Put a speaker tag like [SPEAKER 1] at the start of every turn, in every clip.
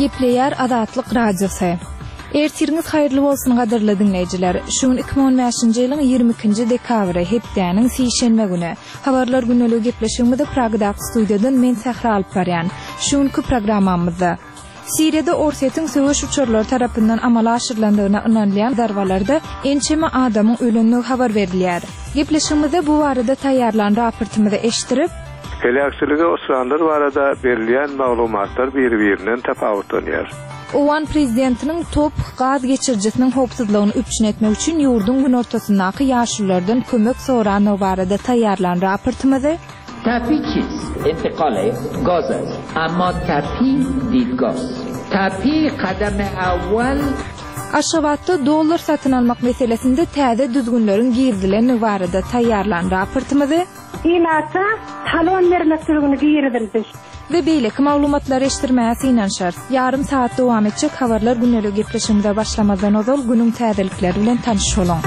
[SPEAKER 1] Gepleýär Azatlyk Radiosy. Ertiriňiz haýyrly bolsun gadyrly diňleýjiler. Şu gün 2015-nji ýylyň 22-nji dekabry, hepdäniň sişenbe güni. Habarlar gündeligi gepleşigimizi Pragadaky studiýadan men Sähra alyp barýan. Şu günki programmamyzda. Siriýada Orsýetiň söweş uçarlary tarapyndan amala aşyrylandygyna ynanylýan zarbalarda ençeme adamyň ölendigi habar berilýär. Gepleşigimizde bu barada taýýarlan raportymyzy eşitdirip,
[SPEAKER 2] Heläkçilige uçranlar barada berilýän maglumatlar biri-birinden tapawutlanýar.
[SPEAKER 1] Owgan prezidentiniň TOPH gaz geçirijisiniň howpsuzlygyny üpjün etmek üçin ýurduň günortasyndaky ýaşululardan kömek sorandygy barada taýýarlan raportymyzy,
[SPEAKER 3] Tapi çist? Intikal gaz ast. Emma tapi didgah ast. Tapi kadam awwal.
[SPEAKER 1] Aşgabatda dollar satyn almak meselesinde täze düzgünleriň girizilendigi barada taýýarlan raportymyzy,
[SPEAKER 4] Ilata talon bermek düzgüni girizildi.
[SPEAKER 1] We beýleki maglumatlary eşitdirmäge synanyşarys. Ýarym sagat dowam etjek Habarlar gündeligi gepleşigimize başlamazdan ozal günüň täzelikleri bilen tanyş boluň.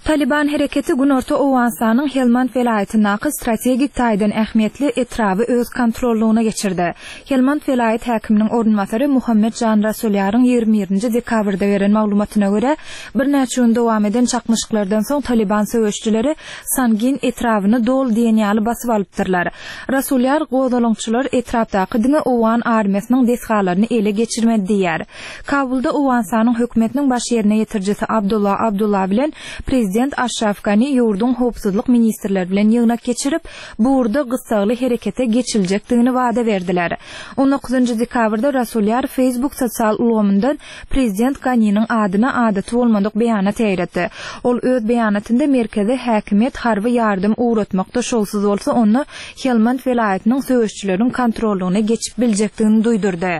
[SPEAKER 1] Talyban hereketi günorta Owganystanyň Helmand welaýatyndaky strategik taýdan ähmiýetli etraby öz kontrollygyna geçirdi. Helmand welaýat häkiminiň orunbasary Muhammet Jan Rasulýaryň 21-nji dekabrda beren maglumatyna görä, Birnäçe gün dowam eden çaknyşyklardan soň Talyban söweşijileri Sangin etrabyny doly diýen ýaly basyp alypdyrlar. Rasulýar gozgalaňçylar etrapdaky diňe owgan armiýasynyň desgalaryny ele geçirmedi diýýär. Kabulda Owganystanyň hökümetiniň baş ýerine ýetirijisi Abdullah Abdullah bilen prezident Aşraf Gani ýurduň howpsuzlyk ministrleri bilen ýygnak geçirip, bu ugurda gyssagly herekete geçiljekdigini wada berdiler. On dokuzynjy dekabrda Rasulýar Facebook sosial ulgamyndan Prezident Ganiniň adyna adaty bolmadyk beýanat ýaýratdy. Ol öz beýanatynda merkezi häkimiýet harby ýardam ugratmakda şowsuz bolsa onda Helmand welaýatynyň söweşçileriň kontrollygyna geçip biljekdigini duýdurdy.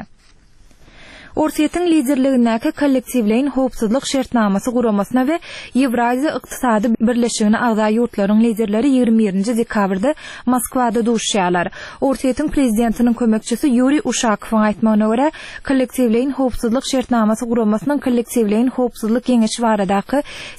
[SPEAKER 1] Orsýetiň liderligindäki Kollektiwleýin howpsuzlyk şertnamasy guramasyna we Ýewraziýa ykdysady birleşigine agza ýurtlaryň liderleri 21-nji dekabrda Moskwada duşuşýarlar. Orsýetiň prezidentiniň kömekçisi Ýuriý Uşakowyň aýtmagyna görä, Kollektiwleýin howpsuzlyk şertnamasy guramasynyň Kollektiwleýin howpsuzlyk geňeşi baradaky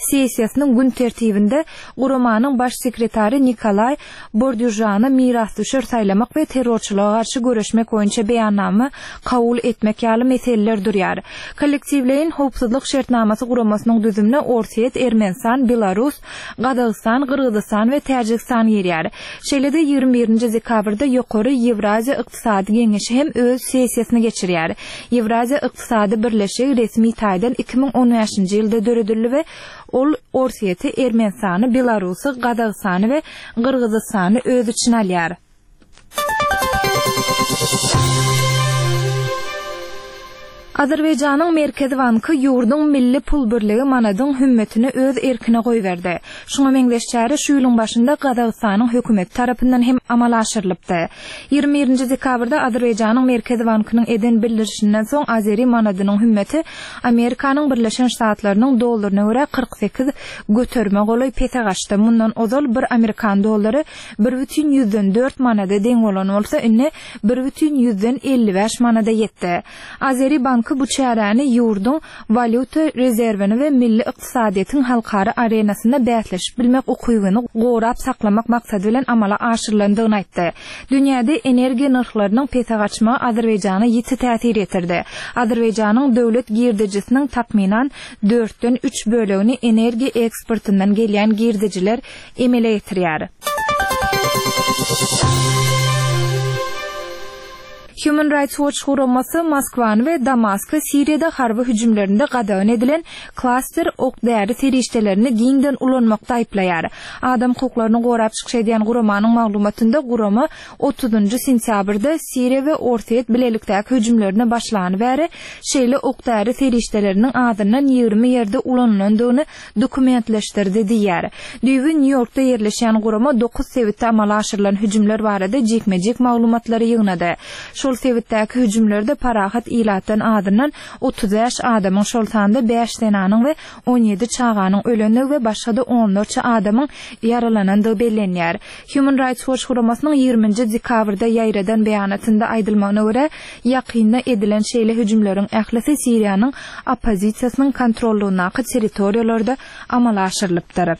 [SPEAKER 1] sessiýasynyň gün tertibinde guramanyň baş sekretary Nikolaý Bordýužany mirasdüşer saýlamak we terrorçylyga garşy göreşmek boýunça beýannama kabul etmek ýaly meseleler durýar. Kollektiwleýin howpsuzlyk şertnamasy guramasynyň düzümine Orsýet, Ermenistan, Belarus, Gazagystan, Gyrgyzystan we Täjigistan girýär. Şeýle-de 21-nji dekabrda Ýokary Ýewraziýa ykdysady geňeşi hem öz sessiýasyny geçirýär. Ýewraziýa ykdysady birleşigi resmi taýdan 2015-nji ýylda döredildi we ol Orsýeti, Ermenistany, Belarusy, Gazagystany we Gyrgyzystany öz içine alýar. Azerbaýjanyň Merkezi banky ýurduň milli pul birligi manadyň hümmetini öz erkine goýberdi. Şuňa meňzeş çäre şu ýylyň başynda Gazagystanyň hökümeti tarapyndan hem amala aşyrylypdy. 21-nji dekabrda Azerbaýjanyň Merkezi bankynyň eden bildirişinden soň azeri manadynyň hümmeti Amerikanyň Birleşen Ştatlarynyň dollaryna görä 48 göterime golaý pese gaçdy. Mundan ozal bir amerikan dollary 1,4 manada deň bolan bolsa, indi 1,55 manada ýetdi. Azeri banky bu çäräni ýurduň walýuta rezerwini we milli ykdysadyýetiň halkara arenasynda bäsleşip bilmek ukybyny gorap saklamak maksady bilen amala aşyrylandygyny aýtdy. Dünýäde energiýa nyrhlarynyň pese gaçmagy Azerbaýjana ýiti täsir ýetirdi. Azerbaýjanyň döwlet girdejisiniň takmynan dörtden üç bölegini energiýa eksportyndan gelýän girdejiler emele getirýär. Human Rights Watch guramasy Moskwany we Damasky Siriýada harby hüjümlerinde gadagan edilen klaster ok-däri serişdelerini giňden ulanmakda aýyplaýar. Adam hukuklaryny gorap çykyş edýän guramanyň maglumatynda gurama otuzynjy sentýabrda Siriýa we Orsýet bilelikdäki hüjümlerine başlany bäri şeýle ok-däri serişdeleriniň azyndan 20 ýerde ulanylandygyny dokumentleşdirdi diýýär. Düýbi Nýu-Ýorkda ýerleşýän gurama dokuz sebitde amala aşyrylan hüjümler barada jikme-jik maglumatlary ýygnady. Şol sebitdäki hüjümlerde parahat ilatdan azyndan 35 adamyň, şol sanda bäş zenanyň we 17 çaganyň ölendigi we başga-da onlarça adamyň ýaralanandygy bellenýär. Human Rights Watch guramasynyň ýigriminji dekabrda ýaýradan beýanatynda aýdylmagyna görä, ýakynda edilen şeýle hüjümleriň ählisi Siriýanyň oppozisiýasynyň kontrollygyndaky territoriýalarda amala aşyrylypdyr.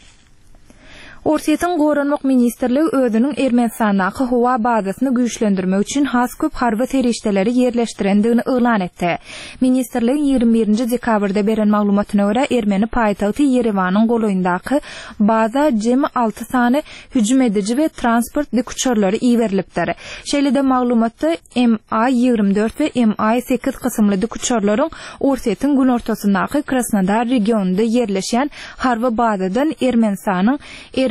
[SPEAKER 1] Orsýetiň Goranmak ministrligi özüniň Ermenistandaky howa bazasyny güýçlendirmek üçin has köp harby serişdeleri ýerleşdirendigini yglan etdi. Ministrligiň 21 nji dekabrda beren maglumatyna görä, ermeni paýtagty Ýerewanyň golaýyndaky baza jemi alty sany hüjüm ediji we transport dikuçarlary iberilipdir. Şeýle-de maglumatda MI 24 we MI 8 kysymly dikuçarlaryň Orsýetiň günortasyndaky Krasnodar regionynda ýerleşýän harby bazadan Ermenistanyň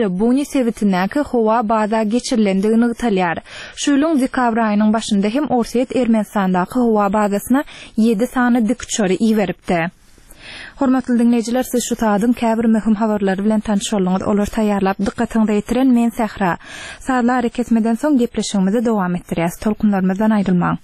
[SPEAKER 1] Erebuni sebitindäki howa baza geçirilendigi nygtalýar. Şu ýylyň dekabr aýynyň başynda hem Orsýet Ermenistandaky howa bazasyna ýedi sany dikuçary iberipdi. Hormatly diňleýjiler, siz şu saadyň käbir möhüm habarlary bilen tanyş bolduňyz. Olary taýýarlap, dykgatyňyza ýetiren men Sähra. Sazly arakesmeden soň gepleşigimizi dowam etdirýäs. Tolkunlarymyzdan aýrylmaň.